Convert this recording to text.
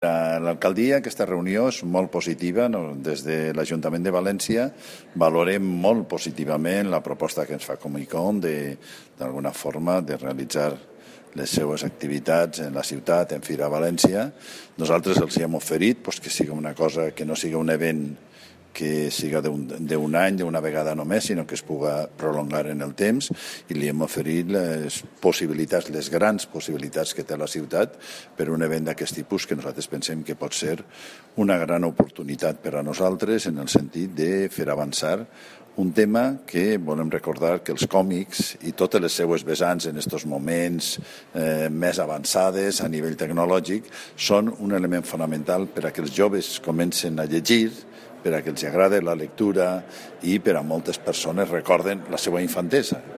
L'alcaldia, aquesta reunió és molt positiva. Des de l'Ajuntament de València valorem molt positivament la proposta que ens fa Comicom d'alguna forma de realitzar les seues activitats en la ciutat, en Fira València. Nosaltres els hem oferit que sigui una cosa que no sigui un event que siga d'un any, d'una vegada només, sinó que es puga prolongar en el temps, i li hem oferit les possibilitats, les grans possibilitats que té la ciutat per un event d'aquest tipus, que nosaltres pensem que pot ser una gran oportunitat per a nosaltres en el sentit de fer avançar un tema que volem recordar que els còmics i totes les seues vessants en aquests moments més avançades a nivell tecnològic són un element fonamental per a que els joves comencen a llegir, per a que els agrada la lectura i per a moltes persones recorden la seva infantesa.